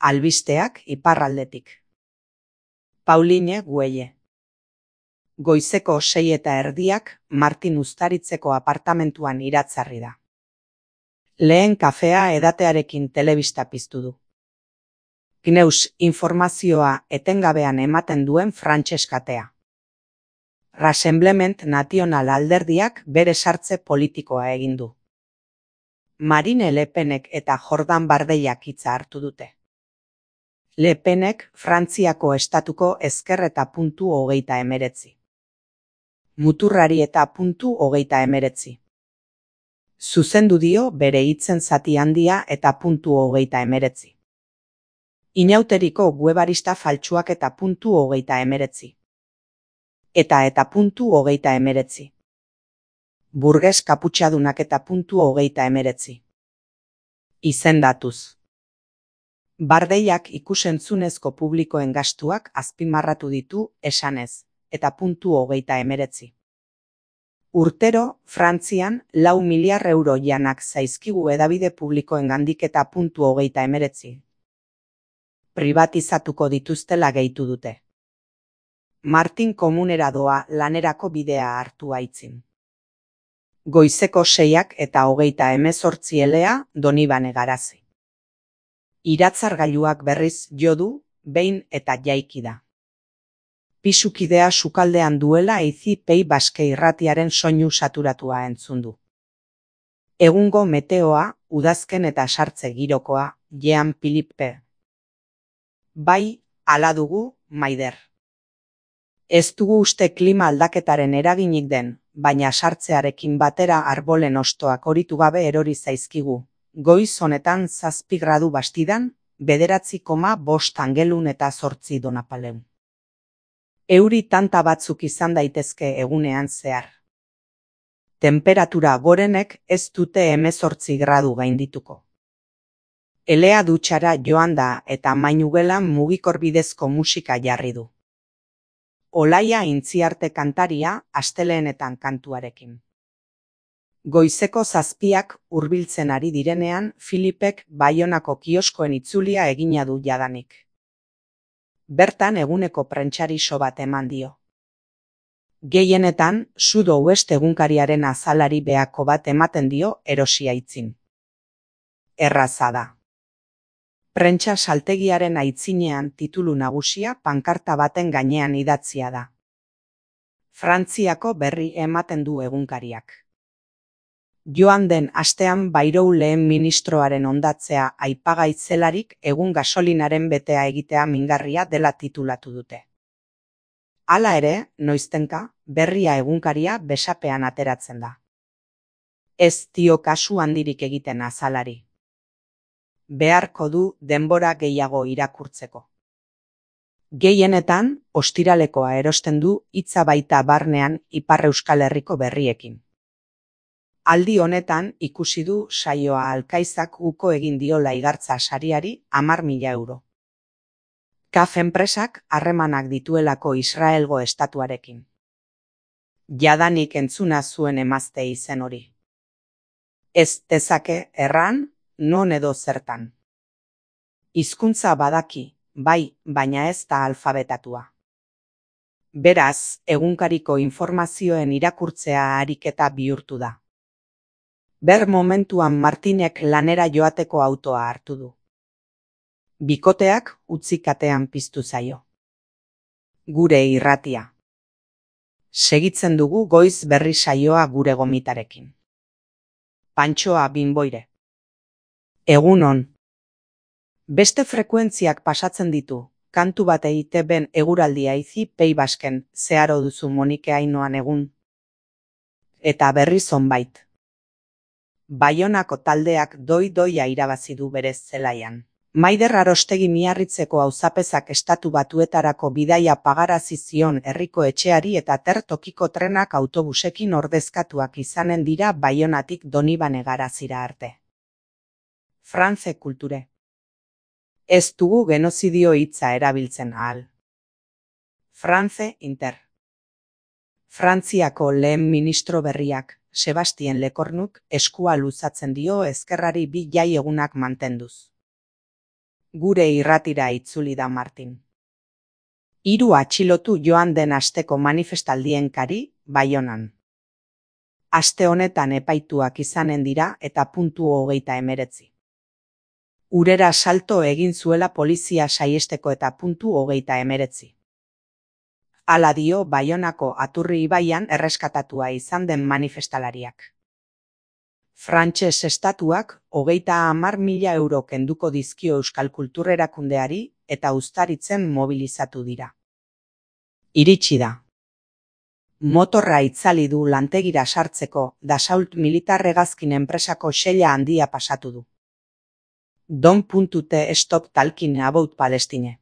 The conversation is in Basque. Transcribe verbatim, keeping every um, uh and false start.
Albisteak iparraldetik. Pauline Güelle. Goizeko sei eta erdiak Martin Uztaritzeko apartamentuan iratzarri da. Lehen kafea edatearekin telebista piztu du. Gneus informazioa etengabean ematen duen frantses katea. Rassemblement National alderdiak bere sartze politikoa egin du. Marine Le Penek eta Jordan Bardellak hitza hartu dute. Le Penek Frantziako estatuko ezker eta puntu hogeita emeretzi. Muturrari eta puntu hogeita emeretzi. Zuzendu dio bere hitzen zati handia eta puntu hogeita emeretzi. Inauteriko guebarista faltsuak eta puntu hogeita emeretzi. Eta eta puntu hogeita emeretzi. Burges kaputxadunak eta puntu hogeita emeretzi. Izendatuz. Bardeiak ikusentzunezko publikoen gastuak azpimarratu ditu esanez, eta puntu hogeita emeretzi. Urtero, Frantzian, lau miliar euro janak zaizkigu edabide publikoen gandik eta puntu hogeita emeretzi. Privatizatuko dituztela gehitu dute. Martin komunera doa lanerako bidea hartu aitzin. Goizeko seiak eta hogeita hemezortzi elea Donibane Garazi. Iratzargailuak berriz jo du, behin eta jaiki da. Pisukidea sukaldean duela eizi pei baske irratiaren soinu saturatua entzun du. Egungo meteoa, udazken eta sartze girokoa, Jean Philippe. Bai, hala dugu, Maider. Ez dugu uste klima aldaketaren eraginik den, baina sartzearekin batera arbolen ostoak horitu gabe erori zaizkigu. Goiz honetan zazpi gradu bastidan, bederatzi koma bost angelun eta zortzi donapaleun. Euri tanta batzuk izan daitezke egunean zehar. Temperatura gorenek ez dute hemezortzi gradu gaindituko. Elea dutxara joan da eta mainugelan mugikor bidezko musika jarri du. Olaia Intziarte kantaria asteleenetan kantuarekin. Goizeko zazpiak hurbiltzen ari direnean Filipek Baionako kioskoen itzulia egina du jadanik. Bertan eguneko prentxariso bat eman dio. Gehienetan, Sudo West egunkariaren azalari behako bat ematen dio erosi aitzin. Erraza da. Prentsa saltegiaren aitzinean titulu nagusia pankarta baten gainean idatzia da. Frantziako berri ematen du egunkariak. Joan den astean Bayrou lehen ministroaren hondatzea aipagai zelarik egun gasolinaren betea egitea mingarria dela titulatu dute. Hala ere, noiztenka, berria egunkaria besapean ateratzen da. Ez dio kasu handirik egiten azalari. Beharko du denbora gehiago irakurtzeko. Gehienetan, ostiralekoa erosten du hitza baita barnean Ipar Euskal Herriko berriekin. Aldi honetan ikusi du saioa Alkaizak uko egin diola igartza sariari hamar mila euro. Kaf enpresak harremanak dituelako Israelgo estatuarekin. Jadanik entzuna zuen emazte izen hori. Ez dezake erran, non edo zertan. Hizkuntza badaki, bai, baina ez da alfabetatua. Beraz, egunkariko informazioen irakurtzea ariketa bihurtu da. Ber momentuan Martinek lanera joateko autoa hartu du. Bikoteak utzi katean piztu zaio. Gure irratia. Segitzen dugu goiz berri saioa gure gomitarekin. Pantxoa Binboire. Egun on. Beste frekuentziak pasatzen ditu, kantu bat egite ben eguraldia eizi pei basken, zeharo duzu Monike Ainoan egun. Eta berri zonbait. Baionako taldeak doi-doia irabazi du berez zelaian. Maider Arostegi Miarritzeko auzapezak estatu batuetarako bidaia pagarazi zion herriko etxeari eta tertokiko trenak autobusekin ordezkatuak izanen dira Baionatik Donibane Garazira arte. France kulture. Ez dugu genozidio hitza erabiltzen ahal. France Inter. Frantziako lehen ministro berriak, Sebastien Lecornuk, eskua luzatzen dio ezkerrari bi jai egunak mantenduz. Gure irratira itzuli da Martin. Hiru atxilotu joan den asteko manifestaldien kari, Baionan. Aste honetan epaituak izanen dira eta puntu hogeita emeretzi. Urera salto egin zuela polizia saiesteko eta puntu hogeita emeretzi. Hala dio Baionako Aturri ibaian erreskatatua izan den manifestalariak. Frantses estatuak hogeita hamar mila euro kenduko dizkio euskal kultur erakundeari eta uztaritzen mobilizatu dira. Iritsi da. Motorra itzali du lantegira sartzeko Dassault militar hegazkin enpresako xella handia pasatu du. Don't stop talking about Palestine.